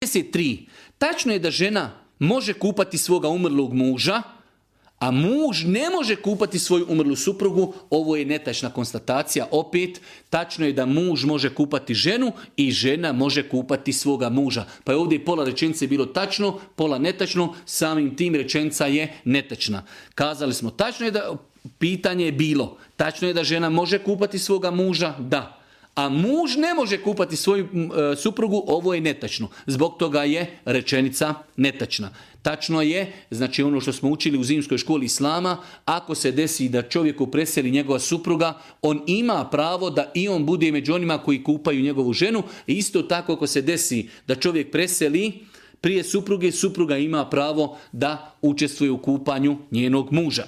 33. Tačno je da žena može kupati svoga umrlog muža, a muž ne može kupati svoju umrlu suprugu. Ovo je netačna konstatacija. Opet, tačno je da muž može kupati ženu i žena može kupati svoga muža. Pa je ovdje pola rečenice bilo tačno, pola netačno, samim tim rečenica je netačna. Kazali smo, tačno je da, pitanje je bilo, tačno je da žena može kupati svoga muža, da. A muž ne može kupati svoju suprugu, ovo je netačno. Zbog toga je rečenica netačna. Tačno je, znači ono što smo učili u zimskoj školi islama, ako se desi da čovjeku preseli njegova supruga, on ima pravo da i on bude među onima koji kupaju njegovu ženu. Isto tako ako se desi da čovjek preseli prije supruge, supruga ima pravo da učestvuje u kupanju njenog muža.